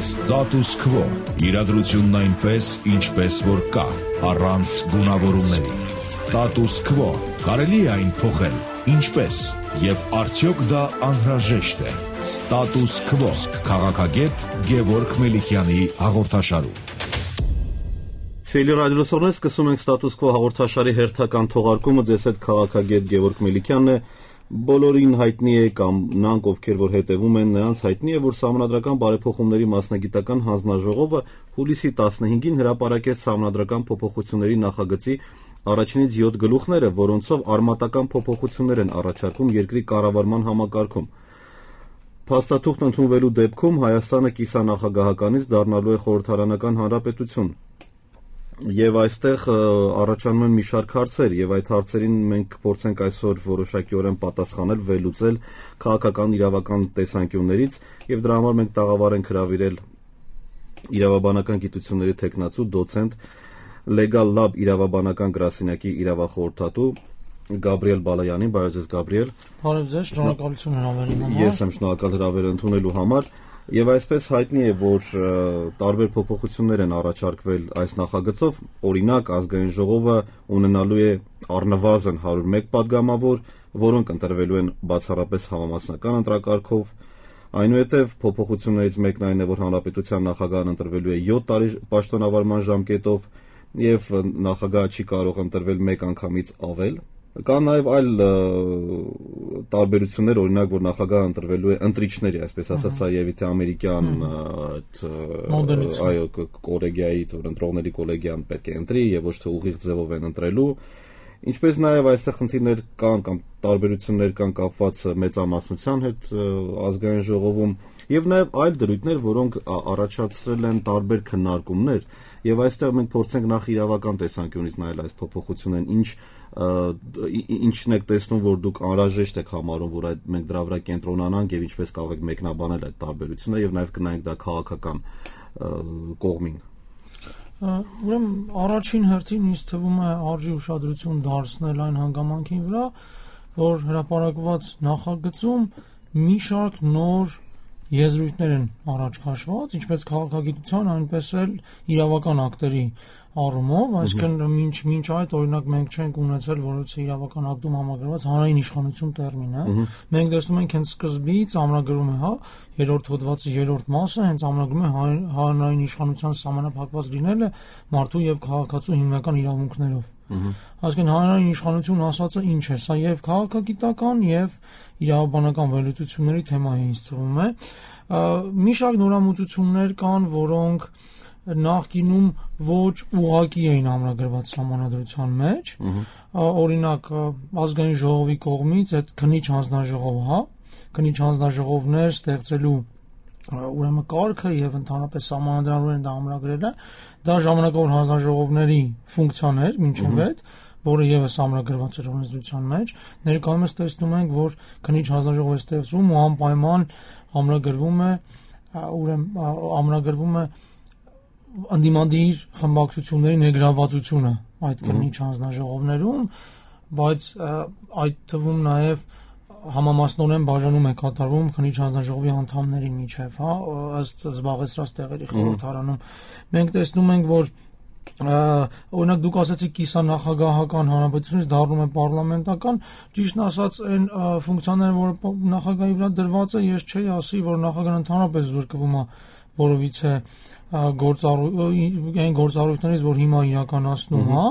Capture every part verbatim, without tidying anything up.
Status Quo. Իրադրությունն այնպես, ինչպես որ կա, առանց գունավորումների։ Status Quo. Կարելի է այն փոխել, ինչպես, եւ արդյոք դա անհրաժեշտ է։ Status Quo. Քաղաքագետ Գևորգ Մելիքյանի հաղորդաշարում։ Սիրելի ռադիոլսողներ, սկսում ենք Status Quo հաղորդաշարի հերթական թողարկումը։ Ձեզ հետ քաղաքագետ Գևորգ Մելիքյանն է։ Բոլորին հայտնի է կամ նրանք, ովքեր որ հետևում են, նրանց հայտնի է, որ Սահմանադրական բարեփոխումների մասնագիտական հանձնաժողովը հուլիսի տասնհինգին հրապարակեց Սահմանադրական փոփոխությունների նախագծի առաջինից յոթ գլուխները, որոնցով արմատական փոփոխություններ են առաջարկում երկրի կառավարման համակարգում։ Փաստաթուղթ ընդունվելու դեպքում Հայաստանը կիսանախագահականից դառնալու է խորհրդարանական հանրապետություն։ Եվ այստեղ առաջանում են մի շարք հարցեր, եւ այդ հարցերին մենք կփորձենք այսօր որոշակիորեն պատասխանել, վերլուծել քաղաքական իրավական տեսանկյուններից, եւ դրա համար մենք տաղավար ենք հրավիրել իրավաբանական գիտությունների թեկնածու դոցենտ Legal Lab իրավաբանական գրասենյակի իրավախորհրդատու Գաբրիել Բալայանին։ Բարև ձեզ, Գաբրիել։ Բարև ձեզ, շնորհակալություն հրավերի համար։ Ես եմ շնորհակալ հրավերը ընդունելու համար։ Եվ այսպես հայտնի է, որ տարբեր փոփոխություններ են առաջարկվել այս նախագծով, օրինակ ազգային ժողովը ունենալու է առնվազն հարյուր մեկ պատգամավոր, որոնք ընտրվելու են բացառապես համամասնական ընտրակարգով, այնուհետև փոփոխություններից մեկն այն է, որ հանրապետության նախագահն ընտրվելու է յոթ տարի պաշտոնավարման ժամկետով եւ նախագահը չի կարող ընտրվել մեկ անգամից ավել։ Կան նաև այլ տարբերություններ, օրինակ, որ նախագահը ընտրվելու է ընտրիչների, այսպես ասած, սա եւ իթե ամերիկյան այո կոլեգիայից, որ ընտրողների կոլեգիան պետք է ընտրի եւ ոչ թե ուղիղ ձևով են ընտրելու։ Ինչպես նաև այստեղ խնդիրներ կան կամ տարբերություններ կան կապված մեծամասնության հետ ազգային ժողովում եւ նաև այլ դրույթներ, որոնք առաջացրել են տարբեր քննարկումներ եւ այստեղ մենք փորձենք նախ իրավական տեսանկյունից նայել այս փոփոխություններին, ինչ ինչն եք տեսնում, որ դուք անհրաժեշտ եք համարում, որ այդ մենք դրա վրա կենտրոնանանք եւ ինչպես կարող եք մեկնաբանել այդ տարբերությունը եւ նաեւ կնայենք դա քաղաքական կողմին։ Ուրեմն առաջին հերթին ինձ թվում է արժի ուշադրություն դարձնել այն հանգամանքին վրա, որ հրապարակված նախագծում մի շարք նոր եզրույթներ են առաջ քաշված, ինչպես քաղաքագիտության, այնպես էլ իրավական ակտերի առումով, այսինքն մինչ մինչ այդ օրինակ մենք չենք ունեցել որևէ իրավական ակտում համագրված հանրային իշխանություն տերմինը։ Մենք տեսնում ենք հենց սկզբից ամրագրում է, հա, երրորդ հոդվածի երրորդ մասը հենց ամրագրում է հանրային իշխանության սահմանափակված լինելը մարդու եւ քաղաքացու հիմնական իրավունքներով։ Այսինքն հանրային իշխանություն ասածը ինչ է, սա եւ քաղաքագիտական եւ իրավաբանական վերլուծությունների թեմա է, ինձ թվում է։ Մի շարք նորամուծություններ կան, որոնք նախկինում ոչ ուղղակի էին ամրագրված սահմանադրության մեջ, օրինակ ազգային ժողովի կողմից այդ քննիչ հանձնաժողովը, հա, քննիչ հանձնաժողովներ ստեղծելու ուրեմն կարգը եւ ընդհանրապես սահմանադրականորեն դա ամրագրելը, դա ժամանակավոր հանձնաժողովների ֆունկցիան էր մինչև այդ, որը եւս ամրագրված էր օրենսդրության մեջ։ Ներկայումս տեսնում ենք, որ քննիչ հանձնաժողով է ստեղծվում ու անպայման ամրագրվում է, ուրեմն ամրագրվում է անդիմադիր խմբակցությունների ներգրավվածությունը այդ քննիչ հանձնաժողովներում, բայց այդ թվում նաև համամասնորեն բաժանում է կատարվում քննիչ հանձնաժողովի անդամների միջև, հա, ըստ զբաղեցրած տեղերի խորհրդարանում։ Մենք տեսնում ենք, որ օրինակ դուք ասացիք կիսանախագահական հանրապետությունից դառնում է պարլամենտական, ճիշտն ասած այն ֆունկցիաները, որ նախագահի վրա դրված է, ես չէի ասի, որ նախագահն ընդհանրապես զրկվում է որովիցե այն գործառույթներից, որ հիմա իրականացնում, հա,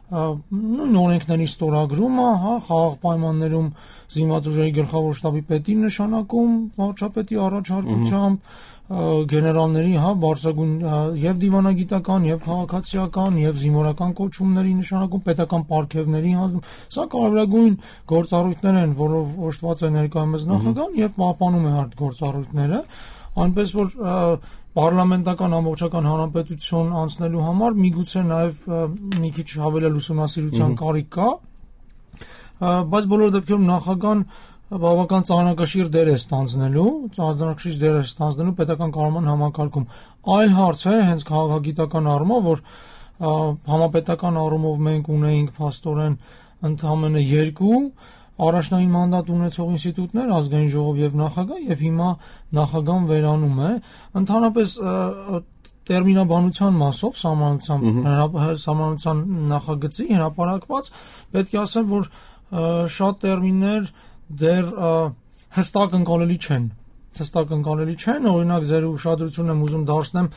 նույն օրենքների ստորագրումը, հա, խաղաղ պայմաններում զինված ուժերի գլխավոր շտաբի պետին նշանակում, վարչապետի առաջարկությամբ, գեներալների, հա, բարձրագույն եւ դիվանագիտական, եւ քաղաքացիական, եւ զինվորական կոչումների նշանակում, պետական պարգևների հանձնում։ Սա կարևորագույն գործառույթներ են, որով օժտված է ներկայումս նախագահան եւ պահպանում է այդ գործառույթները, այնպես որ պարլամենտական ամբողջական հանրապետություն անցնելու համար միգուցե նաև մի քիչ հավելել ուսումնասիրության կարիք կա, բայց բոլոր դեպքերում նախագահան բավական ծանրակշիռ դեր է ստանձնելու, ծանրակշիռ դեր է ստանձնելու պետական կառավարման համակարգում։ Այլ հարց է հենց քաղաքագիտական առումով, որ համապետական առումով մենք ունեինք փաստորեն ընդամենը երկու առաջնային մանդատ ունեցող ինստիտուտներ, ազգային ժողով եւ նախագահ, եւ հիմա նախագահան վերանում է։ Ընդհանրապես տերմինաբանության մասով սահմանության սահմանության նախագծի հրապարակված պետք է ասեմ, որ շատ տերմիններ դեռ հստակ ընկալելի չեն։ Հստակ ընկալելի չեն, օրինակ ձեր ուշադրությունն եմ ուզում դարձնեմ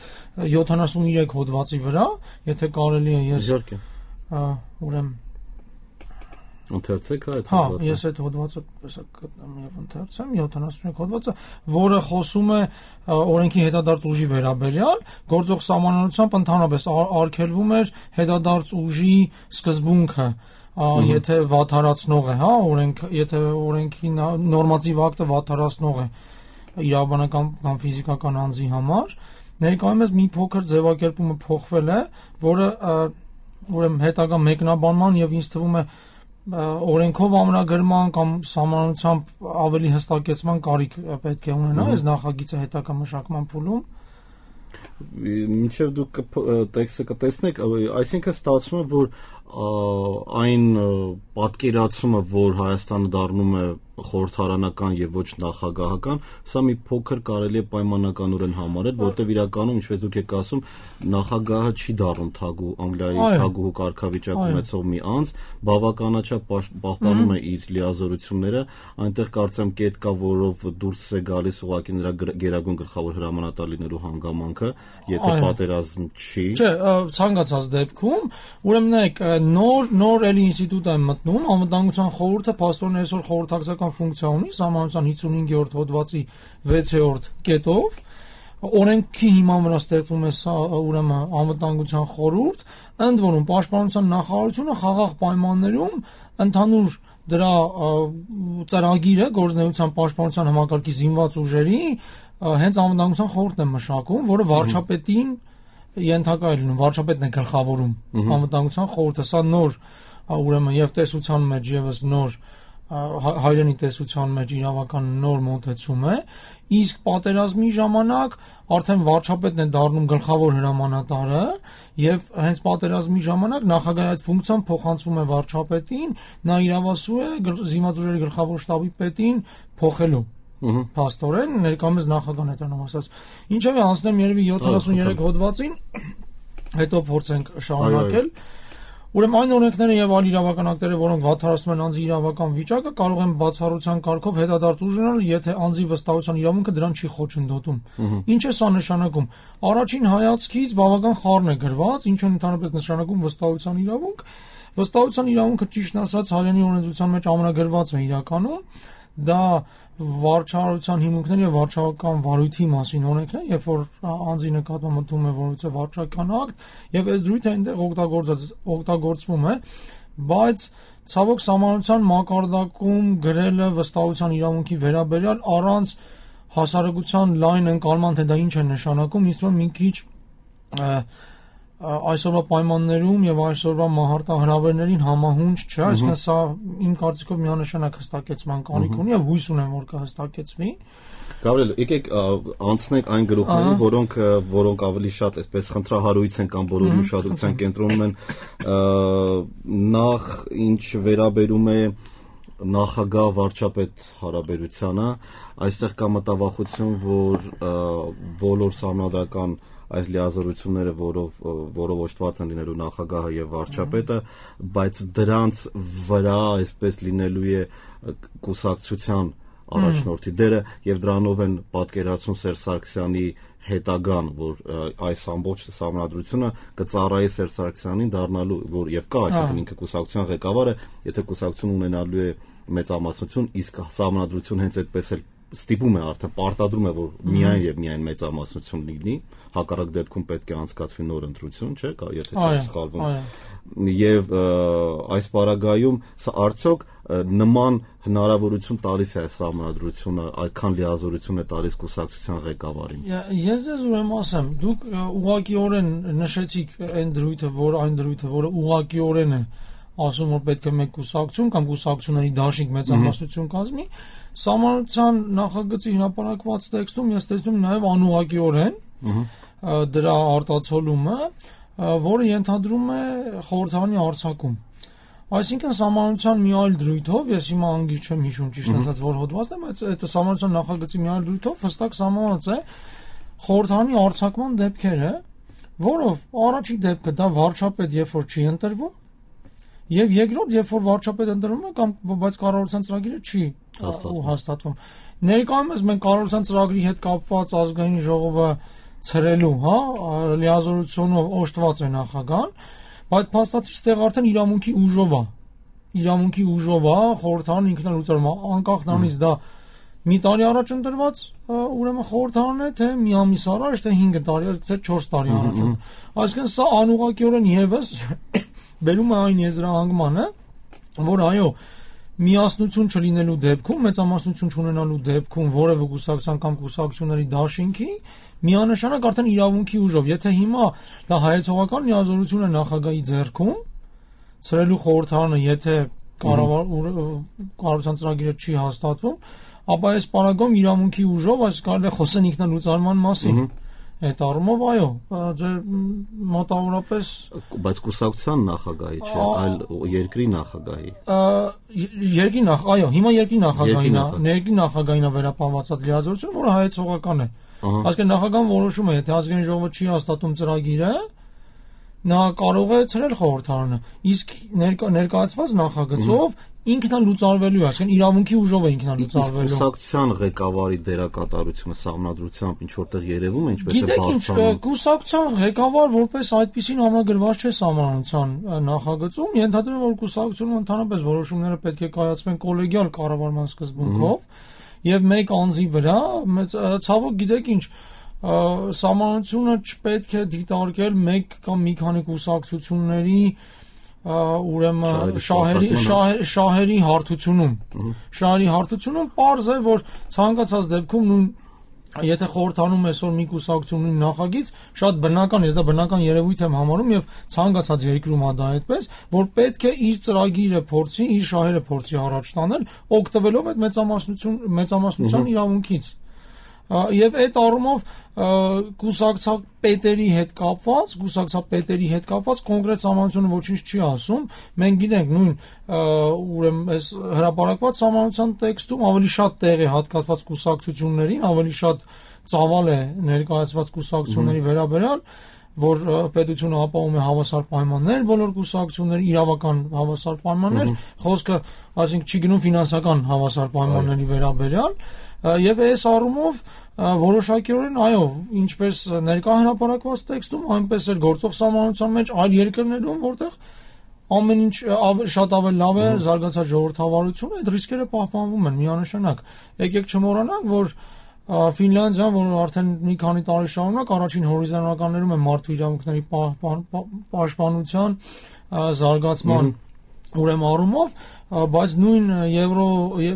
յոթանասուններեք հոդվածի վրա, եթե կարելի է ես ուրեմն ընթերցեք այդ հոդվածը։ Հա, ես այդ հոդվածը եսա գտնեմ եւ ընթերցեմ յոթանասուներեք հոդվածը, որը խոսում է օրենքի հետադարձ ուժի վերաբերյալ, գործող սահմանադրությամբ ընդհանրապես արգելվում էր հետադարձ ուժի սկզբունքը, եթե վատթարացնող է, հա, օրենք, եթե օրենքի նորմատիվ ակտը վատթարացնող է իրավաբանական կամ ֆիզիկական անձի համար, ներկայումս մի փոքր ձևակերպումը փոխվել է, որը ուրեմն հետագա մեկնաբանման եւ ինձ թվում է օրենքով ամրագրման կամ սահմանությամբ ավելի հստակեցման կարիք պետք է ունենա այս նախագիծը հետագա մշակման փուլում։ Մինչև դուք տեքստը կտեսնեք, այսինքն ստացվում է, որ այն պատկերացումը, որ Հայաստանը դառնում է խորհրդարանական եւ ոչ նախագահական, սա մի փոքր կարելի է պայմանականորեն համարել, որտեղ իրականում, ինչպես դուք եք ասում, նախագահը չի դառնում թագու Անգլիայի թագուհու կարգավիճակ ունեցող մի անձ, բավականաչափ պահպանում է իր լիազորությունները, այնտեղ կարծեմ կետ կա, որով դուրս է գալիս ուղղակի նրա գերագույն գլխավոր հրամանատար լինելու հանգամանքը, եթե պատերազմ չի։ Չէ, ցանկացած դեպքում, ուրեմն նոր նոր էլի ինստիտուտ է մտնում, անվտանգության խորհուրդը փաստորեն այսօր խորհրդակցական ֆունկցիա ունի, սահմանության հինգսունհինգերորդ հոդվածի վեցերորդ կետով, օրենքի հիման վրա ստեղծվում է ուրեմն անվտանգության խորհուրդ, ընդ որում պաշտպանության նախարարությունը խաղաղ պայմաններում ընդհանուր դրա ծրագիրը գործնեության պաշտպանության համակարգի զինված ուժերի հենց անվտանգության խորհուրդն է մշակում, որը վարչապետին ենթակա է լինում, վարչապետն է գլխավորում անվտանգության խորհուրդը, սա նոր ուրեմն եւ տեսության մեջ եւս նոր հայրենի տեսության մեջ իրավական նոր մոտեցում է, իսկ պատերազմի ժամանակ արդեն վարչապետն է դառնում գլխավոր հրամանատարը եւ հենց պատերազմի ժամանակ նախագահի այդ ֆունկցիան փոխանցվում է վարչապետին, նա իրավասու է զինված ուժերի գլխավոր շտաբի պետին փոխելու Փաստորեն ներկայումս նախագահն է դառնում ասած։ Ինչևէ անցնեմ երևի յոթանասուններեք հոդվածին, հետո փորձենք շարունակել։ Ուրեմն այն օրենքները եւ այլ իրավական ակտերը, որոնք վատթարացնում են անձի իրավական վիճակը, կարող են բացառության կարգով հետադարձ ուժ ունենալ, եթե անձի վստահության իրավունքը դրան չի խոչընդոտում։ Ինչ է սա նշանակում։ Առաջին հայացքից բավական խառն է գրված, ինչը ընդհանրապես նշանակում վստահության իրավունք։ Վստահության իրավունքը ճիշտ ասած հայերենի օրենսդրության մեջ ամրագրված է իրականում։ Դա վարչարարության հիմունքներ եւ վարչական վարույթի մասին օրենքն է, երբ որ անձի նկատմամբ մտնում է որևէ վարչական ակտ եւ այս դրույթը այնտեղ օգտագործվում է, բայց ցավոք սահմանության մակարդակում գրելը վստահության իրավունքի վերաբերյալ առանց հասարակության լայն ընկալման, թե դա ինչ է նշանակում, ինձ թվում է մի քիչ այսօրվա պայմաններում եւ այսօրվա մահարտահրավերներին համահունչ չէ, այսինքն սա իմ կարծիքով միանշանակ հստակեցման կարիք ունի եւ հույս ունեմ, որ կհստակեցվի։ Գավրիել, եկեք անցնենք այն գլուխներին, որոնք որոնք ավելի շատ այսպես խնդրահարույց են կամ բոլորի ուշադրության կենտրոնում են, նախ ինչ վերաբերում է նախագահ վարչապետ հարաբերությանը, այստեղ կա մտավախություն, որ բոլոր սահմանադրական այս լիազորությունները, որով որով օժտված են լինելու նախագահը եւ վարչապետը, բայց դրանց վրա այսպես լինելու է կուսակցության առաջնորդի դերը եւ դրանով են պատկերացում Սերժ Սարգսյանի հետագան, որ այս ամբողջ սահմանադրությունը կծառայի Սերժ Սարգսյանին դառնալու, որ եւ կա, այսինքն ինքը կուսակցության ղեկավարը, եթե կուսակցություն ունենալու է մեծամասնություն, իսկ սահմանադրություն հենց այդպես էլ ստիպում է արդեն պարտադրում է, որ միայն եւ միայն մեծամասնություն լինի, հակառակ դեպքում պետք է անցկացվի նոր ընտրություն, չէ՞, եթե չեմ սխալվում։ Եվ այս պարագայում սա արդյոք նման հնարավորություն տալիս է սահմանադրությունը, այդքան լիազորություն է տալիս կուսակցության ղեկավարին։ Ես ձեզ ուրեմն ասեմ, դուք ուղղակիորեն նշեցիք այն դրույթը, որ այն դրույթը, որը ուղղակիորեն է ասում, որ պետք է մեկ կուսակցություն կամ կուսակցությունների դաշինք մեծամասնություն կազմի, սահմանության նախագծի հրապարակված տեքստում ես տեսնում նաև անուղղակիորեն դրա արտացոլումը, որը ենթադրում է խորհրդարանի արձակում։ Այսինքն սահմանության մի այլ դրույթով, ես հիմա անգիր չեմ հիշում ճիշտ ասած որ հոդվածն է, բայց այդ սահմանության նախագծի մի այլ դրույթով հստակ սահմանված է խորհրդանի արձակման դեպքերը, որով առաջի դեպքը դա վարչապետ երբ որ չի ընտրվում, եւ երկրորդ երբ որ վարչապետ ընտրվում է կամ բայց կառավարության ծրագիրը չի հաստատվում։ Ներկայումս մենք կառավարության ծրագրի հետ կապված ազգային ժողովը ցրելու, հա, լիազորությունով օժտված է նախագահան, բայց փաստացի ստեղ արդեն իրավունքի ուժով է։ Իրավունքի ուժով է խորհրդարանը ինքնալուծարում է, անկախ նրանից դա մի տարի առաջ ընտրված ուրեմն խորհրդարան է, թե մի ամիս առաջ, թե հինգ տարի, թե չորս տարի առաջ։ Այսինքն սա անուղղակիորեն եւս բերում է այն եզրահանգմանը, որ այո, միասնություն չլինելու դեպքում, մեծամասնություն չունենալու դեպքում որևէ կուսակցության կամ կուսակցությունների դաշինքի միանշանակ արդեն իրավունքի ուժով, եթե հիմա դա հայեցողական լիազորություն է նախագահի ձեռքում, ցրելու խորհրդարանը, եթե կառավարության ծրագիրը չի հաստատվում, ապա այս պարագայում իրավունքի ուժով այս կարելի է խոսեն ինքնալուծարման մասին։ Այդ առումով այո, ձեր մոտավորապես բայց կուսակցության նախագահի չէ, այլ երկրի նախագահի։ Երկրի նախ, այո, հիմա երկրի նախագահին է, երկրի նախագահին է վերապահված այդ լիազորությունը, որը հայեցողական է։ Այսինքն նախագահան որոշում է, եթե ազգային ժողովը չի հաստատում ծրագիրը, նա կարող է ցրել խորհրդարանը, իսկ ներկայացված նախագծով ինքնալուծարվելու է, այսինքն իրավունքի ուժով է ինքնալուծարվելու։ Կուսակցության ղեկավարի դերակատարությունը սահմանադրությամբ ինչ որտեղ երևում է, ինչպես է բարձրանում։ Գիտեք ինչ, կուսակցության ղեկավար որպես այդպեսին համագրված չէ սահմանության նախագծում, ենթադրում որ կուսակցությունը ընդհանրապես որոշումները պետք է կայացվեն կոլեգիալ կառավարման սկզբունքով եւ մեկ անձի վրա, ցավոք գիտեք ինչ, սահմանությունը չպետք է դիտարկել մեկ կամ մի քանի կուսակցությունների ուրեմն շահերի շահերի հարթությունում շահերի հարթությունում պարզ է որ ցանկացած դեպքում նույն եթե խորհրդանում այսօր մի կուսակցություն ունի նախագիծ շատ բնական ես դա բնական երևույթ եմ համարում եւ ցանկացած երկրում է դա այդպես որ պետք է իր ծրագիրը փորձի իր շահերը փորձի առաջ տանել օգտվելով այդ մեծամասնություն մեծամասնության իրավունքից եւ այդ առումով կուսակցապետերի հետ կապված, կուսակցապետերի հետ կապված կոնկրետ սահմանությունը ոչինչ չի ասում։ Մենք գիտենք նույն ուրեմն այս հրապարակված սահմանության տեքստում ավելի շատ տեղ է հատկացված կուսակցություններին, ավելի շատ ծավալ է ներկայացված կուսակցությունների վերաբերյալ, որ պետությունը ապահովում է հավասար պայմաններ, բոլոր կուսակցությունների իրավական հավասար պայմաններ, խոսքը, այսինքն չի գնում ֆինանսական հավասար պայմանների վերաբերյալ, եւ այս առումով որոշակիորեն այո, ինչպես ներկա հրապարակված տեքստում, այնպես էլ գործող սահմանության մեջ այլ երկրներում, որտեղ ամեն ինչ շատ ավելի լավ է զարգացած ժողովրդավարությունը, այդ ռիսկերը պահպանվում են միանշանակ։ Եկեք չմոռանանք, որ Ֆինլանդիան, որը արդեն մի քանի տարի շարունակ առաջին հորիզոնականներում է մարդու իրավունքների պաշտպանության զարգացման ուրեմն առումով, բայց նույն Եվրո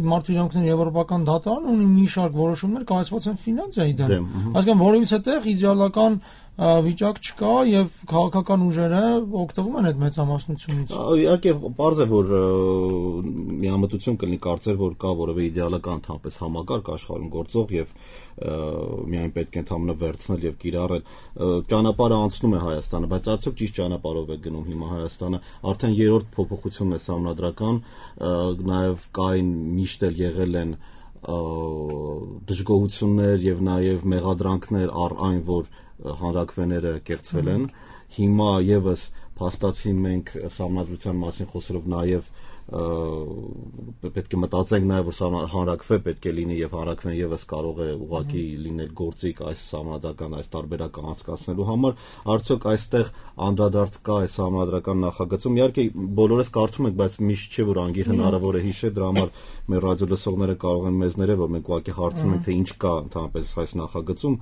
մարդու իրավունքների եվրոպական դատարանը ունի մի շարք որոշումներ կայացված են Ֆինլանդիայի դեմ։ Այսինքն որևիցե տեղ իդեալական վիճակ չկա եւ քաղաքական ուժերը օգտվում են այդ մեծամասնությունից։ Իհարկե, պարզ է որ միամտություն կլինի կարծել, որ կա որևէ իդեալական ընդհանրապես համակարգ աշխարհում գործող եւ միայն պետք է ընդհանրապես վերցնել եւ կիրառել։ Ճանապարհը անցնում է Հայաստանը, բայց արդյոք ճիշտ ճանապարհով է գնում հիմա Հայաստանը։ Արդեն երրորդ փոփոխությունն է համանդրական, նաեւ կային միշտ էլ եղել են դժգոհություններ եւ նաեւ մեղադրանքներ առ այն, որ հանրակրվեները կեղծվել են։ Հիմա եւս փաստացի մենք համանդրության մասին խոսելով նաեւ պետք է մտածենք նաեւ որ հանրակրվե պետք է լինի եւ հանրակրվեն եւս կարող է ուղղակի լինել գործիք այս համանդրական այս տարբերակը անցկացնելու համար արդյոք այստեղ անդրադարձ կա այս համանդրական նախագծում իհարկե բոլորս կարդում ենք բայց միշտ չէ որ անգիր հնարավոր է հիշել դրա համար մեր ռադիո լսողները կարող են մեզ ներել որ մենք ուղղակի հարցնում ենք թե ինչ կա ընդհանրապես այս նախագծում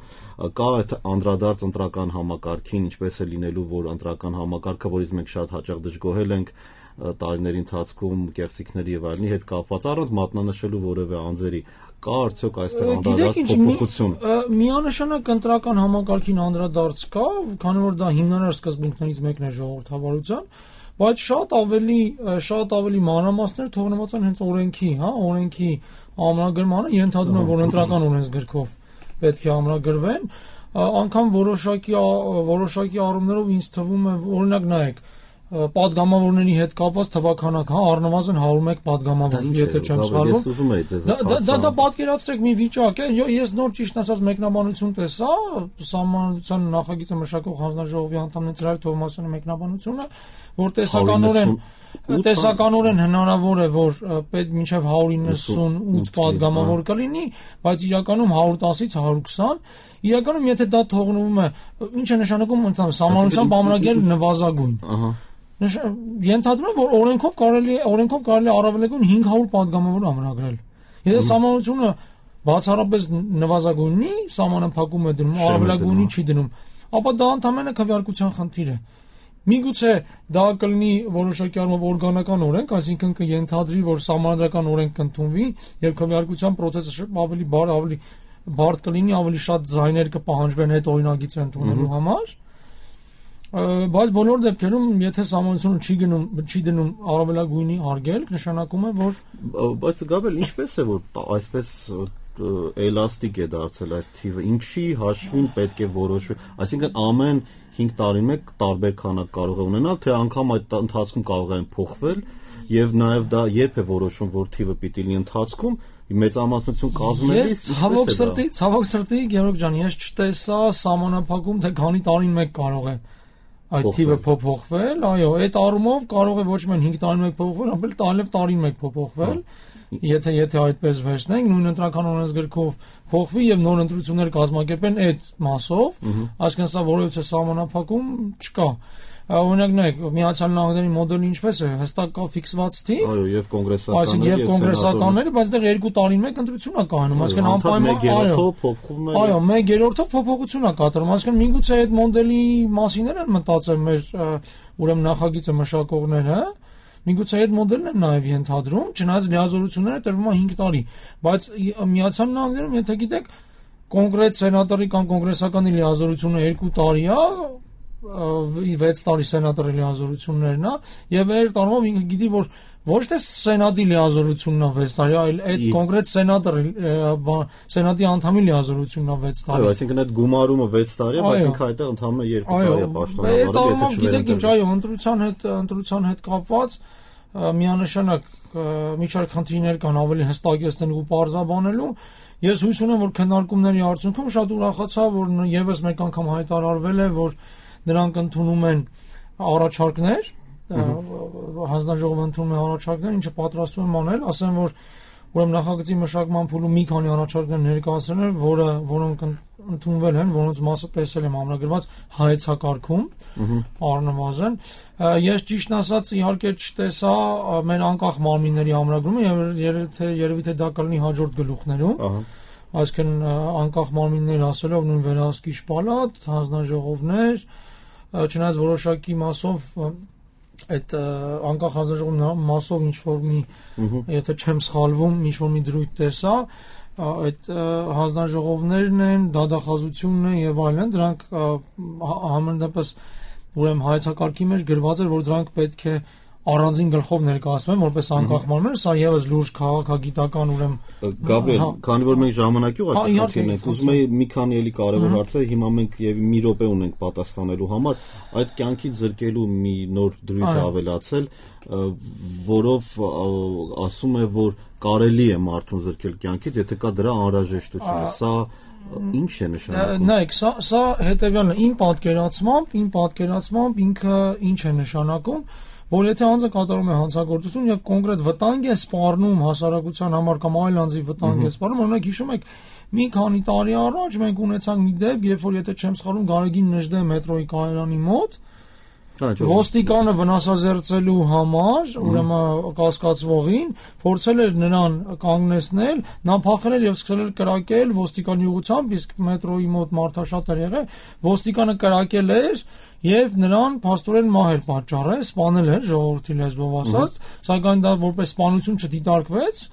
կա այդ անդրադարձ ընտրական համակարգին ինչպես է լինելու որ ընտրական համակարգը որից մենք շատ հաճախ դժգոհել ենք տարիների ընթացքում կեղծիքների եւ այլնի հետ կապված առանց մատնանշելու որևէ անձերի կա արդյոք այստեղ անդրադարձ փոփոխություն միանշանակ ընտրական համակարգին անդրադարձ կա քանի որ դա հիմնարար սկզբունքներից մեկն է ժողովրդավարության բայց շատ ավելի շատ ավելի մանրամասներ թողնված են հենց օրենքի հա օրենքի ամրագրմանը ենթադրում է որ ընտրական օրենսգրքով պետք է ամրագրվեն անգամ որոշակի որոշակի առումներով ինձ թվում է օրինակ նայեք պատգամավորների հետ կապված թվականական առնվազն հարյուր մեկ պատգամավոր, եթե չեմ սխալվում։ Դա դա պատկերացրեք մի վիճակ է, ես նոր ճիշտ ասած մեկնաբանություն տեսա, Սահմանադրության նախագիծը մշակող հանձնաժողովի անդամներից Ծրար Թովմասյանի մեկնաբանությունը, որ տեսականորեն տեսականորեն հնարավոր է, որ պետք մինչև հարյուր իննսունութ պատգամավոր կլինի, բայց իրականում հարյուր տասից հարյուր քսան, իրականում եթե դա թողնվում է, ինչ է նշանակում Սահմանադրությամբ ամրագրել նվազագույն։ Ենթադրում եմ, որ օրենքով կարելի է օրենքով կարելի է առավելագույն հինգ հարյուր պատգամավոր ամրագրել։ Եթե Սահմանադրությունը բացառապես նվազագույնի սահմանափակում է դնում, առավելագույնի չի դնում, ապա դա ընդհանրապես քվեարկության խնդիր է։ Միգուցե դա կլինի որոշակի առումով օրգանական օրենք, այսինքն կենթադրի, որ սահմանադրական օրենք կընդունվի եւ քվեարկության process-ը ավելի բար, ավելի բարդ կլինի, ավելի շատ ձայներ կպահանջվեն այդ օրինագիծը ընդունելու համար։ Բայց բոլոր դեպքերում, եթե Սահմանադրությունը չի գնում, չի դնում առավելագույնի արգելք, նշանակում է, որ բայց Գաբրիել, ինչպես է, որ այսպես էլաստիկ է դարձել այս թիվը, ինչի հաշվին պետք է որոշվի, այսինքն ամեն հինգ տարին մեկ տարբեր քանակ կարող է ունենալ, թե անգամ այդ ընթացքում կարող են փոխվել եւ նաեւ դա երբ է որոշում, որ թիվը պիտի լինի ընթացքում մեծամասնություն կազմելիս։ Ցավոք սրտի, ցավոք սրտի, Գևորգ ջան, ես չտեսա սահմանափակում, թե քանի տարին մեկ կարող է այդ թիվը փոփոխվել, այո, այդ առումով կարող է ոչ միայն հինգ տարին մեկ փոփոխվել, այլ տարին տարին մեկ փոփոխվել, եթե եթե այդպես վերցնենք, նույն ընտրական օրենսգրքով փոխվի եւ նոր ընտրություններ կազմակերպեն այդ մասով, այսինքն սա որևէ սահմանափակում չկա։ Օրինակ նայեք, Միացյալ Նահանգների մոդելը ինչպես է, հստակ կա ֆիքսված թիվ, այո, եւ կոնգրեսականները, եւ կոնգրեսականները, բայց դեռ երկու տարին մեկ ընտրություն է կայանում, այսինքն անպայման այո, փոխվում է։ Այո, մեկ երրորդով փոփոխություն է կատարվում, այսինքն միգուցե այդ մոդելի մասին են մտածել մեր ուրեմն նախագիծը մշակողները, միգուցե այդ մոդելն են նաեւ ենթադրում, չնայած լիազորությունները տրվում է հինգ տարի, բայց Միացյալ Նահանգներում, եթե գիտեք, կոնկրետ սենատորի կամ կոնգրեսականի լիազորությունը երկու տարի է, վեց տարի սենատորի լիազորություններն է, եւ այդ առումով ինքը գիտի, որ ոչ թե սենատի լիազորությունն է վեց տարի, այլ այդ կոնկրետ սենատորի սենատի անդամի լիազորությունն է վեց տարի։ Այո, այսինքն այդ գումարումը վեց տարի է, բայց ինքը այդտեղ ընդհանրապես երկու տարի է պաշտոնավարել, եթե չվերընտրվի։ Գիտեք ինչ, այո, ընտրության հետ ընտրության հետ կապված միանշանակ մի շարք խնդիրներ կան ավելի հստակեցնելու ու պարզաբանելու։ Ես հույս ունեմ, որ քննարկումների արդյունքում շատ ուրախացա, որ եւս մեկ անգամ հայտարարվել է, որ նրանք ընդունում են առաջարկներ, հանձնաժողովը ընդունում է առաջարկներ, ինչը պատրաստվում եմ անել, ասեմ, որ ուրեմն նախագծի մշակման փուլում մի քանի առաջարկներ ներկայացրել են, որը որոնք ընդունվել են, որոնց մասը տեսել եմ ամրագրված հայեցակարգում, առնվազն։ Ես ճիշտն ասած իհարկե չտեսա մեր անկախ մարմինների ամրագրումը եւ երևի թե դա կլինի հաջորդ գլուխներում։ Այսինքն անկախ մարմիններ ասելով նույն վերահսկիչ պալատ, հանձնաժողովներ, չնայած որոշակի մասով այդ անկախ հանձնաժողովի մասով ինչ որ մի, եթե չեմ սխալվում, ինչ որ մի դրույթ տեսա, այդ հանձնաժողովներն են, դատախազությունն է եւ այլն, դրանք համենայնպես ուրեմն հայեցակարգի մեջ գրված էր, որ դրանք պետք է առանձին գլխով ներկայացվեն որպես անկախ մարմին, սա եւս լուրջ քաղաքագիտական ուրեմն Գաբրիել, քանի որ մենք ժամանակի ուղղակի ենք, ուզում եի մի քանի էլի կարևոր հարցեր, հիմա մենք եւ մի րոպե ունենք պատասխանելու համար, այդ կյանքից զրկելու մի նոր դրույթ է ավելացել, որով ասում է, որ կարելի է մարդուն զրկել կյանքից, եթե կա դրա անհրաժեշտությունը։ Սա ինչ է նշանակում։ Նայեք, սա սա հետեւյալն է, իմ պատկերացմամբ, իմ պատկերացմամբ ինքը ինչ է նշանակում, որ եթե անձը կատարում է հանցագործություն եւ կոնկրետ վտանգ է սպառնում հասարակության համար կամ այլ անձի վտանգ է սպառնում, օրինակ հիշում եք մի քանի տարի առաջ մենք ունեցանք մի դեպք, երբ որ եթե չեմ սխալվում Գարեգին Նժդե մետրոյի կայարանի մոտ ոստիկանը վնասազերծելու համար, ուրեմն կասկածվողին փորձել էր նրան կանգնեցնել, նա փախել էր եւ սկսել էր կրակել ոստիկանի ուղղությամբ, իսկ մետրոյի մոտ մարդաշատ էր եղել, ոստիկանը կրակել էր եւ նրան փաստորեն մահ էր պատճառել, սպանել էր ժողովրդի լեզվով ասած, սակայն դա որպես սպանություն չդիտարկվեց,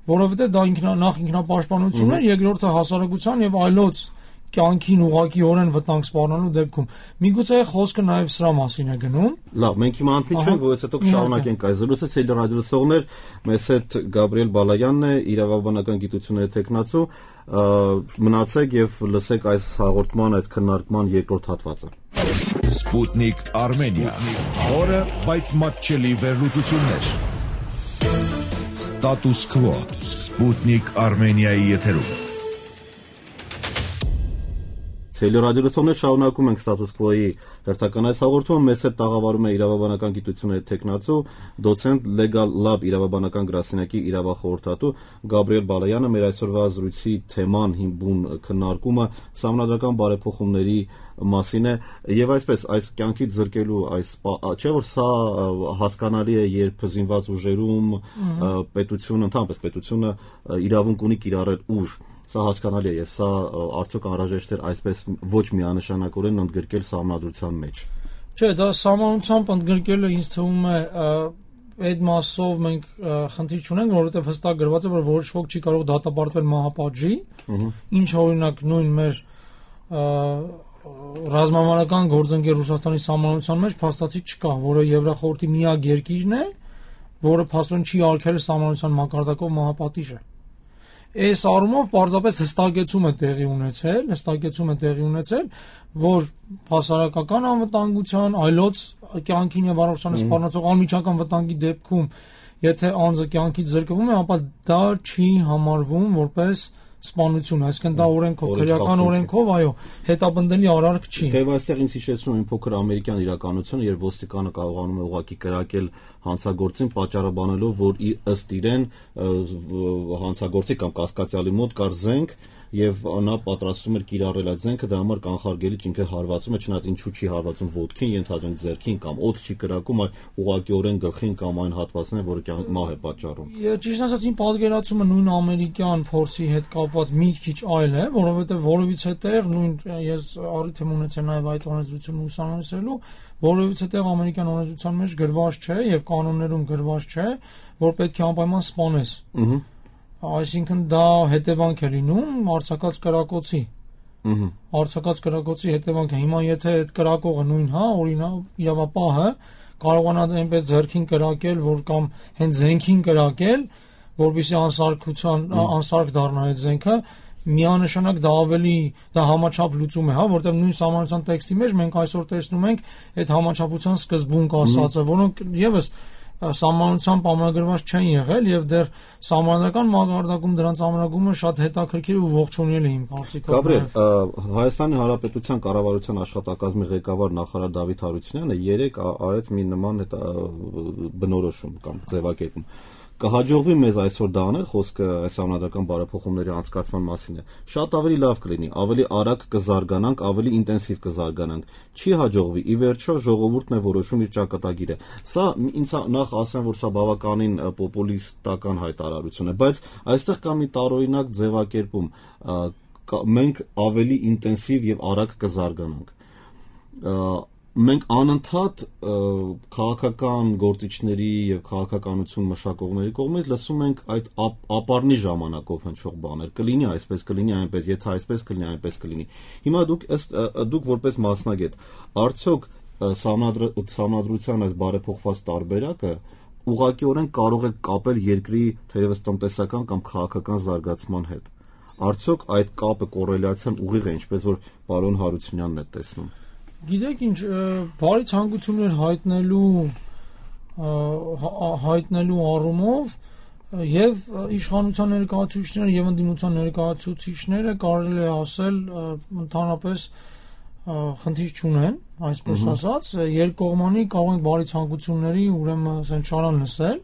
որովհետեւ դա ինքնա նախ ինքնապաշտպանություն էր, երկրորդը հասարակության եւ այլոց կյանքին ուղղակիորեն վտանգ սպառնալու դեպքում։ Միգուցե խոսքը նաև սրա մասին է գնում։ Լավ, մենք հիմա անփիչենք, որից հետո կշարունակենք այս զրույցը։ Սիրելի ռադիոլսողներ, մեզ հետ Գաբրիել Բալայանն է, իրավաբանական գիտությունների թեկնածու։ Մնացեք եւ լսեք այս հաղորդման, այս քննարկման երկրորդ հատվածը։ Sputnik Armenia։ Խորը, բայց մատչելի վերլուծություններ։ Status Quo Sputnik Armenia-ի եթերում։ Ցելի ռադիոլսոններ շարունակում ենք Status Quo-ի հերթական այս հաղորդումը, մեզ հետ տաղավարում է իրավաբանական գիտությունների տեխնացու, դոցենտ Legal Lab իրավաբանական գրասենյակի իրավախորհրդատու Գաբրիել Բալայանը։ Մեր այսօրվա զրույցի թեման հիմնուն քննարկումը սահմանադրական բարեփոխումների մասին է եւ այսպես այս կյանքից զրկելու այս չէ որ սա հասկանալի է, երբ զինված ուժերում պետությունը, ընդհանրապես պետությունը իրավունք ունի կիրառել ուժ։ Սա հասկանալի է եւ սա արդյոք անհրաժեշտ է այսպես ոչ միանշանակորեն ընդգրկել սահմանադրության մեջ։ Չէ, դա սահմանությամբ ընդգրկելը ինձ թվում է այդ մասով մենք խնդիր չունենք, որովհետեւ հստակ գրված է, որ որոշ ոք չի կարող դատապարտվել մահապատժի, ինչ օրինակ նույն մեր ռազմավարական գործընկեր Ռուսաստանի սահմանության մեջ փաստացի չկա, որը Եվրախորհրդի միակ երկիրն է, որը փաստորեն չի արգելել սահմանության մակարդակով մահապատիժը։ Այս առումով պարզապես հստակեցում է տեղի ունեցել, հստակեցում է տեղի ունեցել, որ հասարակական անվտանգության, այլոց կյանքին եւ առողջությանը սպառնացող անմիջական վտանգի դեպքում, եթե անձը կյանքից զրկվում է, ապա դա չի համարվում որպես սպանություն, այսինքն դա օրենքով, քրեական օրենքով, այո, հետապնդելի արարք չի։ Թեև այստեղ ինձ հիշեցնում է փոքր ամերիկյան իրականություն, երբ ոստիկանը կարողանում է ուղղակի կրակել հանցագործին, պատճառաբանելով, որ ըստ իրեն հանցագործի կամ կասկածյալի մոտ կար զենք եւ նա պատրաստում էր կիրառել այդ զենքը, դրա համար կանխարգելիչ ինքը հարվածում է, չնայած ինչու չի հարվածում ոտքին, ենթադրենք ձեռքին կամ օդ չի կրակում, այլ ուղղակիորեն գլխին կամ այն հատվածն է, որը մահ է պատճառում։ Ճիշտ ասած, իմ պատկերացումը նույն ամերիկյան փորձի հետ կապված մի քիչ այլ է, որովհետեւ որևիցե տեղ նույն ես առիթ եմ ունեցել նաեւ այդ օրենսդրությունը ուսումնասիրելու, որևիցե տեղ ամերիկյան օրենսդրության մեջ գրված չէ եւ կանոններում գրված չէ, որ պետք է անպայման սպանես։ Ահա Այսինքն դա հետևանք է լինում արձակած կրակոցի։ Ահա Արձակած կրակոցի հետևանք է։ Հիմա եթե այդ կրակողը նույն, հա, օրինակ իրավապահը կարողանա այնպես ձեռքին կրակել, որ կամ հենց զենքին կրակել, որովհետեւ անսարքության անսարք դառնա այդ զենքը, միանշանակ դա ավելի դա համաչափ լուծում է, հա, որտեղ նույն սահմանության տեքստի մեջ մենք այսօր տեսնում ենք այդ համաչափության սկզբունք ասածը, որոնք եւս սահմանությամբ ամրագրված չեն եղել եւ դեռ սահմանադրական մակարդակում դրանց ամրագրումը շատ հետաքրքիր ու ողջունելի է իմ կարծիքով։ Գաբրիել, Հայաստանի Հանրապետության կառավարության աշխատակազմի ղեկավար նախարար Դավիթ Հարությունյանը երեք արեց մի նման բնորոշում կամ ձևակերպում։ Կհաջողվի մեզ այսօր դա անել, խոսքը այս համանդրական բարեփոխումների անցկացման մասին է։ Շատ ավելի լավ կլինի, ավելի արագ կզարգանանք, ավելի ինտենսիվ կզարգանանք։ Չի հաջողվի, ի վերջո ժողովուրդն է որոշում իր ճակատագիրը։ Սա ինձ նախ ասեմ, որ սա բավականին պոպուլիստական հայտարարություն է, բայց այստեղ կա մի տարօրինակ ձևակերպում։ Մենք ավելի ինտենսիվ եւ արագ կզարգանանք։ Մենք անընդհատ քաղաքական գործիչների եւ քաղաքականություն մշակողների կողմից լսում ենք այդ ապառնի ժամանակով հնչող բաներ։ Կլինի այսպես, կլինի այնպես, եթե այսպես կլինի, այնպես կլինի։ Հիմա դուք ըստ դուք որպես մասնագետ, արդյոք սահմանադրության այս բարեփոխված տարբերակը ուղղակիորեն կարող է կապել երկրի թերևս տնտեսական կամ քաղաքական զարգացման հետ։ Արդյոք այդ կապը կոռելացիան ուղիղ է, ինչպես որ պարոն Հարությունյանն է տեսնում։ Գիտեք ինչ, բարի ցանկություններ հայտնելու հայտնելու առումով եւ իշխանության ներկայացուցիչները եւ ընդդիմության ներկայացուցիչները կարելի է ասել ընդհանրապես խնդիր չունեն, այսպես ասած, երկկողմանի կարող ենք բարի ցանկությունների ուրեմն ասեն շարան լսել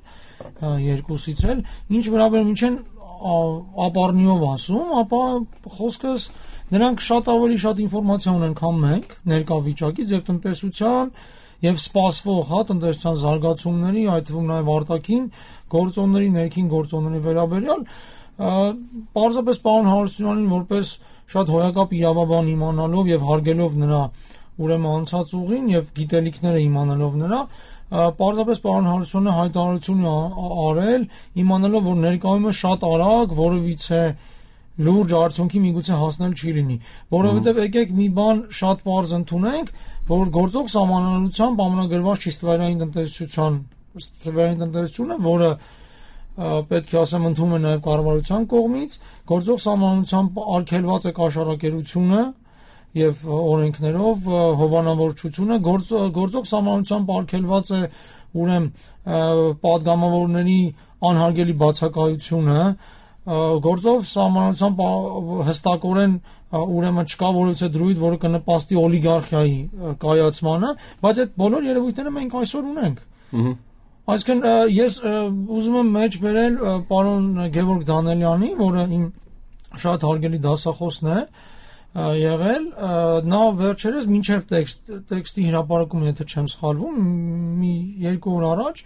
երկուսից էլ, ինչ վերաբերում ինչ են ապառնիով ասում, ապա խոսքս նրանք շատ ավելի շատ ինֆորմացիա ունեն, քան մենք ներկա վիճակից եւ տնտեսության եւ սպասվող, հա, տնտեսության զարգացումների, այդ թվում նաեւ արտաքին գործոնների, ներքին գործոնների վերաբերյալ, պարզապես պարոն Հարությունյանին որպես շատ հոյակապ իրավաբան իմանալով եւ հարգելով նրա ուրեմն անցած ուղին եւ գիտելիքները իմանալով նրա, պարզապես պարոն Հարությունյանը հայտարարություն արել, իմանալով որ ներկայումս շատ արագ որևիցե լուրջ արդյունքի միգուցե հասնել չի լինի, որովհետև եկեք մի բան շատ պարզ ընդունենք, որ գործող սահմանադրությամբ ամենագրված չի ստվերային տնտեսության, ստվերային տնտեսությունը, որը պետք է ասեմ ընդունում է նաև կառավարության կողմից, գործող սահմանադրությամբ արգելված է կաշառակերությունը եւ օրենքներով հովանավորչությունը գործող սահմանությամբ արգելված է ուրեմն պատգամավորների անհարգելի բացակայությունը գործող սահմանությամբ հստակորեն ուրեմն չկա որևէ դրույթ, որը կնպաստի օլիգարխիայի կայացմանը, բայց այդ բոլոր երևույթները մենք այսօր ունենք։ Այսինքն ես ուզում եմ մեջ բերել պարոն Գևորգ Դանելյանի, որը իմ շատ հարգելի դասախոսն է եղել, նա վերջերս մինչև տեքստի հրապարակումը, եթե չեմ սխալվում, մի երկու օր առաջ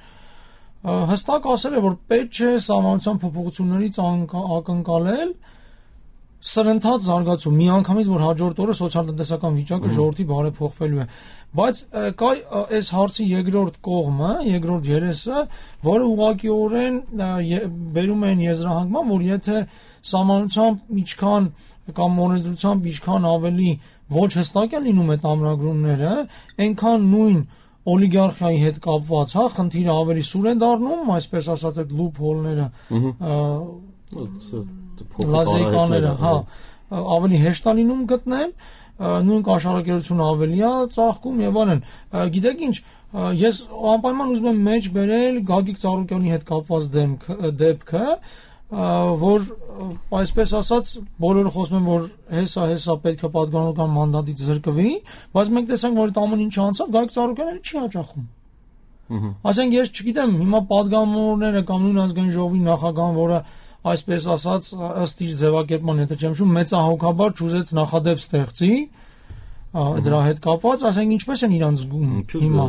հստակ ասել է, որ պետք չէ սահմանության փոփոխություններից ակնկալել սրընթաց զարգացում, միանգամից որ հաջորդ օրը սոցիալ-տնտեսական վիճակը ժողովրդի բարեփոխվելու է, բայց կա այս հարցի երկրորդ կողմը, երկրորդ երեսը, որը ուղղակիորեն բերում են եզրահանգման, որ եթե սահմանությամբ ինչքան կամ օրենսդրությամբ ինչքան ավելի ոչ հստակ են լինում այդ ամրագրումները, այնքան նույն օլիգարխիայի հետ կապված, հա, խնդիրը ավելի սուր են դառնում, այսպես ասած այդ լուփ հոլները, լազեկաները, հա, ավելի հեշտ է լինում գտնել, նույն կաշառակերությունը ավելի է ծաղկում եւ այլն։ Գիտեք ինչ, ես անպայման ուզում եմ մեջ բերել Գագիկ Ծառուկյանի հետ կապված դեպքը, որ այսպես ասած բոլորը խոսում են, որ հեսա հեսա պետք է պատգամավորական մանդատից զրկվի, բայց մենք տեսանք, որ այդ ամեն ինչը անցավ, Գագիկ Ծառուկյանը չի հաճախում։ Ասենք ես չգիտեմ, հիմա պատգամավորները կամ նույն ազգային ժողովի նախագահան, որը այսպես ասած ըստ իր ձևակերպման, եթե չեմ շում, մեծահոգաբար չուզեց նախադեպ ստեղծի դրա հետ կապված, ասենք ինչպես են իրանց զգում հիմա։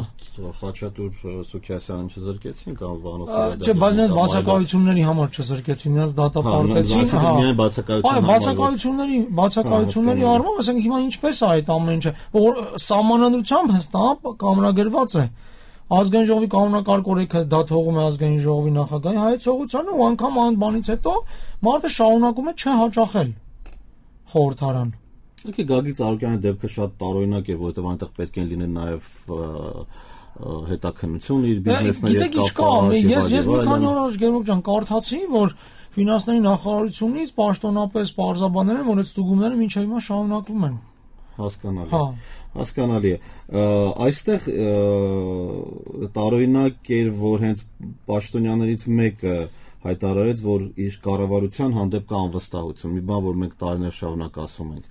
Խաչատուր Սուքիասյանին չզրկեցին կամ Վանոսյանը։ Չէ, բայց նրանց բացակայությունների համար չզրկեցին, նրանց դատապարտեցին, հա։ Միայն բացակայության համար։ Այո, բացակայությունների, բացակայությունների առումով, ասենք հիմա ինչպես է այդ ամեն ինչը, որ սահմանադրությամբ հստակ կամրագրված է։ Ազգային ժողովի կանոնակարգ օրենքը դա թողում է ազգային ժողովի նախագահի հայեցողությանը ու անգամ այն բանից հետո մարդը շարունակում է չհաճախել խորհրդարան։ Եկե Գագիկ Ծառուկյանի դեպքը շատ տարօրինակ է, որովհետև այնտեղ պետք է լինեն նաև հետաքննություն իր բիզնեսների հետ կապված։ Ես ես մի քանի օր առաջ Գևորգ ջան կարդացի, որ ֆինանսների նախարարությունից պաշտոնապես պարզաբանել են, որ այդ ստուգումները մինչև հիմա շարունակվում են։ Հասկանալի է, հասկանալի է։ Այստեղ տարօրինակ էր, որ հենց պաշտոնյաներից մեկը հայտարարեց, որ իր կառավարության հանդեպ կա անվստահություն, մի բան, որ մենք տարիներ շարունակ ասում ենք։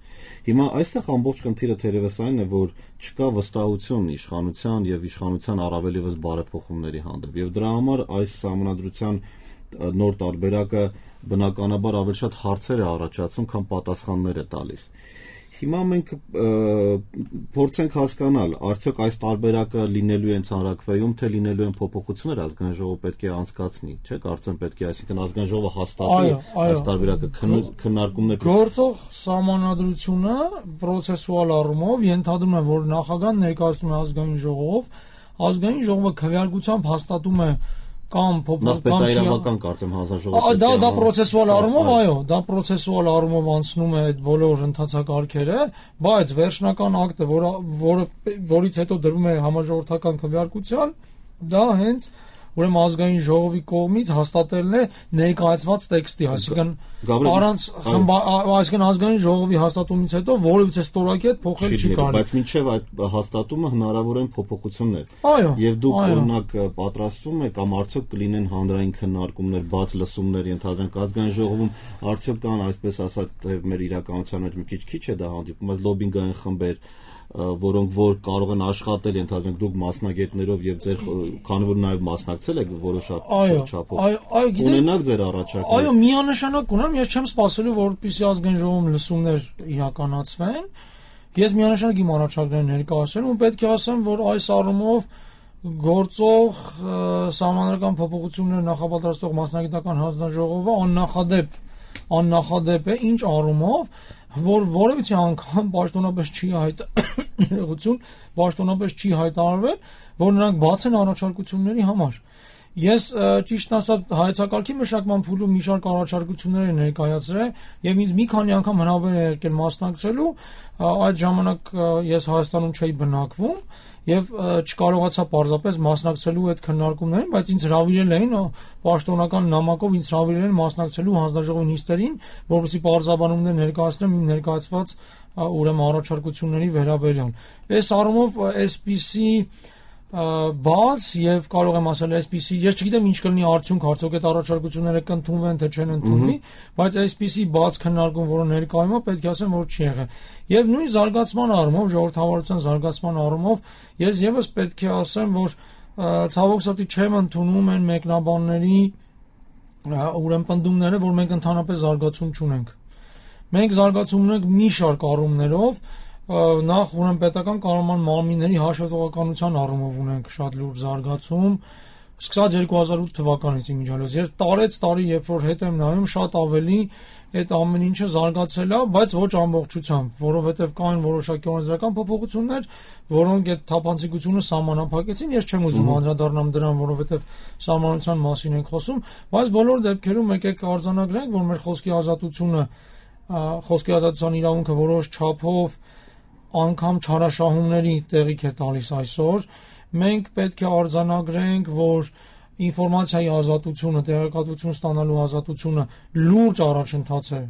Հիմա այստեղ ամբողջ խնդիրը թերևս այն է, որ չկա վստահություն իշխանության եւ իշխանության առավել եւս բարեփոխումների հանդեպ, եւ դրա համար այս սահմանադրության նոր տարբերակը բնականաբար ավելի շատ հարցեր է առաջացում, քան պատասխաններ է տալիս։ Հիմա մենք փորձենք հասկանալ, արդյոք այս տարբերակը լինելու է ընդհանրակրվեում, թե լինելու են փոփոխություններ, ազգային ժողովը պետք է անցկացնի, չէ՞, կարծեմ պետք է, այսինքն ազգային ժողովը հաստատի այս տարբերակը քննարկումներ։ Գործող սահմանադրությունը պրոցեսուալ առումով ենթադրում է, որ նախագահան ներկայացնում է ազգային ժողով, ազգային ժողովը քվեարկությամբ հաստատում է կամ փոփոխական իրավական կարծեմ հանձնաժողովը։ Դա դա պրոցեսուալ առումով, այո, դա պրոցեսուալ առումով անցնում է այդ բոլոր ընթացակարգերը, բայց վերջնական ակտը, որը որը որից հետո դրվում է համաժողովրդական քվեարկության, դա հենց ուրեմն ազգային ժողովի կողմից հաստատելն է ներկայացված տեքստի, այսինքն առանց այսինքն ազգային ժողովի հաստատումից հետո որևէ ստորակետ փոխել չի կարելի։ Բայց մինչև այդ հաստատումը հնարավոր են փոփոխություններ։ Այո։ Եվ դուք օրինակ պատրաստվում եք կամ արդյոք կլինեն հանրային քննարկումներ, բաց լսումներ ենթադրենք ազգային ժողովում, արդյոք կան այսպես ասած մեր իրականության մեջ մի քիչ քիչ է դա հանդիպում, բայց լոբինգային խմբեր, որոնք որ կարող են աշխատել, ենթադրենք դուք մասնագետներով եւ ձեր քանի որ նաեւ մասնակցել եք որոշապ չափով։ Ունենաք ձեր առաջարկներ։ Այո, միանշանակ ունեմ, ես չեմ սպասելու, որպեսզի ազգային ժողովում լսումներ իրականացվեն։ Ես միանշանակ իմ առաջարկները ներկայացրել ու պետք է ասեմ, որ այս առումով գործող սահմանադրական փոփոխություններ նախապատրաստող մասնագիտական հանձնաժողովը աննախադեպ աննախադեպ է, ինչ առումով, որ որևէ անգամ պաշտոնապես չի հայտարարություն, պաշտոնապես չի հայտարարվել, որ նրանք բաց են առաջարկությունների համար։ Ես ճիշտ ասած հայեցակարգի մշակման փուլում մի շարք առաջարկություններ ներկայացրել եւ ինձ մի քանի անգամ հնարավոր է եկել մասնակցելու, այդ ժամանակ ես Հայաստանում չէի բնակվում եւ չկարողացա պարզապես մասնակցելու այդ քննարկումներին, բայց ինձ հրավիրել էին պաշտոնական նամակով ինձ հրավիրել են մասնակցելու հանձնաժողովի նիստերին, որովհետեւ պարզաբանումներ ներկայացնեմ իմ ներկայացված ուրեմն առաջարկությունների վերաբերյալ։ Այս առումով այսպիսի բաց եւ կարող եմ ասել այսպիսի, ես չգիտեմ ինչ կլինի արդյունք, արդյոք այդ առաջարկությունները կընդունվեն թե չեն ընդունվի, բայց այսպիսի բաց քննարկում, որը ներկայում է, պետք է ասեմ, որ չի եղել։ Եվ նույն զարգացման առումով, ժողովրդավարության զարգացման առումով, ես եւս պետք է ասեմ, որ ցավոք սրտի չեմ ընդունում են մեկնաբանների ուրեմն պնդումները, որ մենք ընդհանրապես զարգացում չունենք։ Մենք զարգացում ունենք մի շարք առումներով, նախ ուրեմն պետական կառավարման մարմինների հաշվետվողականության առումով ունենք շատ լուրջ զարգացում, սկսած երկու հազար ութ թվականից իմիջիալոց։ Ես տարեց տարի, երբ որ հետ եմ նայում, շատ ավելի այդ ամեն ինչը զարգացել է, բայց ոչ ամբողջությամբ, որովհետև կային որոշակի օրենսդրական փոփոխություններ, որոնք այդ թափանցիկությունը սահմանափակեցին։ Ես չեմ ուզում անդրադառնամ դրան, որովհետև սահմանության մասին ենք խոսում, բայց բոլոր դեպքերում եկեք արձանագրենք, որ մեր խոսքի ազատությունը, խոսքի ազատության իրավունքը որոշ չափով անգամ չարաշահումների տեղիք է տալիս այսօր։ Մենք պետք է արձանագրենք, որ ինֆորմացիայի ազատությունը, տեղեկատվություն ստանալու ազատությունը լուրջ առաջընթաց է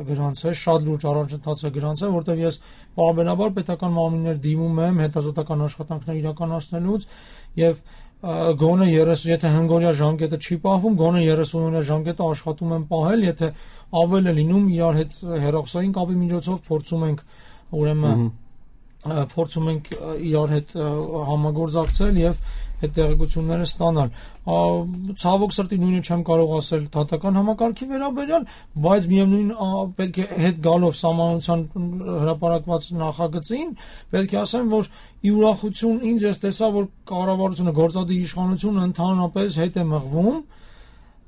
գրանցել, շատ լուրջ առաջընթաց է գրանցել, որտեղ ես պարբերաբար պետական մարմիններ դիմում եմ հետազոտական աշխատանքներ իրականացնելուց եւ գոնե երեսուն, եթե հնգօրյա ժամկետը չի պահվում, գոնե երեսուն օրյա ժամկետը աշխատում եմ պահել, եթե ավել է լինում իրար հետ հեռախոսային կապի միջոցով փորձում ենք ուրեմն փորձում ենք իրար հետ համագործակցել եւ այդ տեղեկությունները ստանալ։ Ցավոք սրտի նույնը չեմ կարող ասել դատական համակարգի վերաբերյալ, բայց միևնույն պետք է հետ գալով սահմանության հրապարակված նախագծին, պետք է ասեմ, որ ի ուրախություն ինձ ես տեսա, որ կառավարությունը, գործադիր իշխանությունը ընդհանրապես հետ է մղվում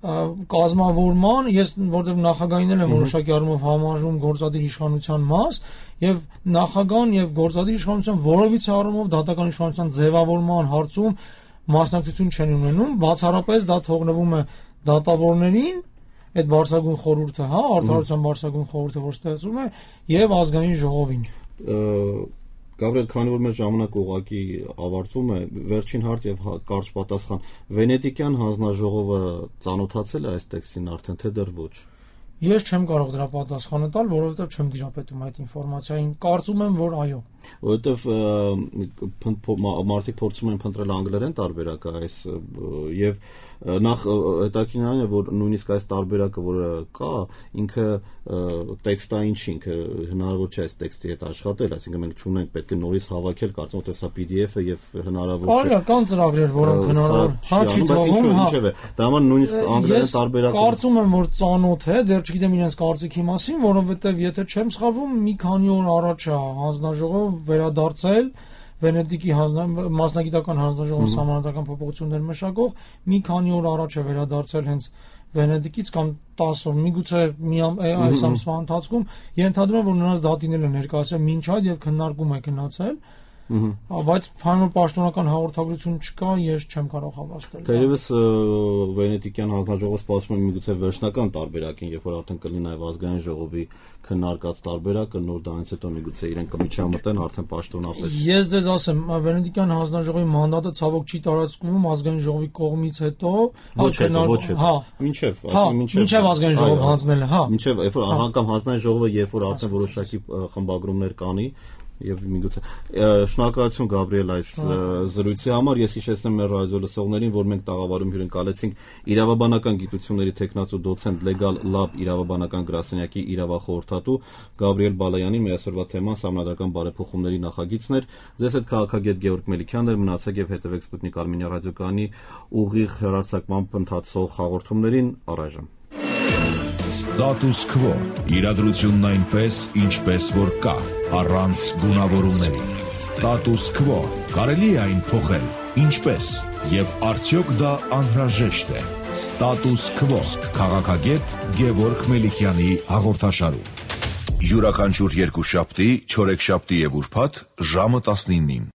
կազմավորման, ես որտեղ նախագահին եմ որոշակի առումով համարում գործադիր իշխանության մաս, եւ նախագահան եւ գործադիր իշխանության որովից առումով դատական իշխանության ձևավորման հարցում մասնակցություն չեն ունենում, բացառապես դա թողնվում է դատավորներին, այդ բարձրագույն խորհուրդը, հա, արդարության բարձրագույն խորհուրդը, որ ստեղծում է, եւ ազգային ժողովին։ Գաբրիել, քանի որ մեր ժամանակը ուղղակի ավարտվում է, վերջին հարց եւ կարճ պատասխան։ Վենետիկյան հանձնաժողովը ծանոթացել է այս տեքստին արդեն, թե դեռ ոչ։ Ես չեմ կարող դրա պատասխանը տալ, որովհետև չեմ դիապետում այդ ինֆորմացիային։ Կարծում եմ, որ այո։ Որովհետև մարդիկ փորձում են փնտրել անգլերեն տարբերակը այս եւ նախ հետաքրքիրն այն է, որ նույնիսկ այս տարբերակը, որը կա, ինքը տեքստային չի, ինքը հնարավոր չէ այս տեքստի հետ աշխատել, այսինքն մենք չունենք, պետք է նորից հավաքել, կարծում եմ, որ սա պի դի էֆ է եւ հնարավոր չէ։ Այո, կան ծրագրեր, որոնք հնարավոր հա չի թվում, հա։ Դա համար նույնիսկ անգլերեն տարբերակը կարծում եմ, որ ծանոթ է, դեռ չգիտեմ իրենց կարծիքի մասին, որովհետեւ եթե չեմ սխալվում, մի քանի օր առաջ է հանձնաժողով վերադարձել Վենետիկի մասնագիտական հանձնաժողովի սահմանադրական փոփոխություններ մշակող մի քանի օր առաջ է վերադարձել հենց Վենետիկից կամ տասը օր, միգուցե մի այս ամսվա ընթացքում ենթադրում եմ, որ նրանց դատինել են ներկայացել մինչ այդ եւ քննարկում է գնացել, բայց փանոր պաշտոնական հաղորդագրություն չկա, ես չեմ կարող հավաստել։ Թերևս Վենետիկյան հանձնաժողովը սպասում է միգուցե վերջնական տարբերակին, երբ որ արդեն կլինի նաև ազգային ժողովի քննարկած տարբերակը, նոր դրանից հետո միգուցե իրենք կմիջամտեն արդեն պաշտոնապես։ Ես ձեզ ասեմ, Վենետիկյան հանձնաժողովի մանդատը ցավոք չի տարածվում ազգային ժողովի կողմից հետո, ոչ հետո, ոչ հետո։ Հա, մինչև, այսինքն մինչև մինչև ազգային ժողով հանձնելը, հա։ Մինչև երբ որ անգամ հանձնային ժողովը երբ որ արդեն որոշակի խմբագրումներ կանի, եւ միգուցե շնորհակալություն Գաբրիել այս զրույցի համար։ Ես հիշեցնեմ մեր ռադիո լսողներին, որ մենք տաղավարում հյուրընկալեցինք իրավաբանական գիտությունների թեկնածու դոցենտ Legal Lab իրավաբանական գրասենյակի իրավախորհրդատու Գաբրիել Բալայանին։ Մեր այսօրվա թեման սահմանադրական բարեփոխումների նախագիծն էր։ Ձեզ հետ քաղաքագետ Գեորգ Մելիքյանն էր, մնացեք եւ հետեւեք Սպուտնիկ Արմենիա ռադիոկայանի ուղիղ հեռարձակմամբ ընթացող հաղորդումներին առայժմ։ Status Quo. Իրադրությունն այնպես, ինչպես որ կա, առանց գունավորումների։ Status Quo. Կարելի է այն փոխել, ինչպես, եւ արդյոք դա անհրաժեշտ է։ Status Quo. Քաղաքագետ Գեորգ Մելիքյանի հաղորդաշարում։ Յուրաքանչյուր երկուշաբթի, չորեքշաբթի եւ ուրբաթ ժամը տասնինին։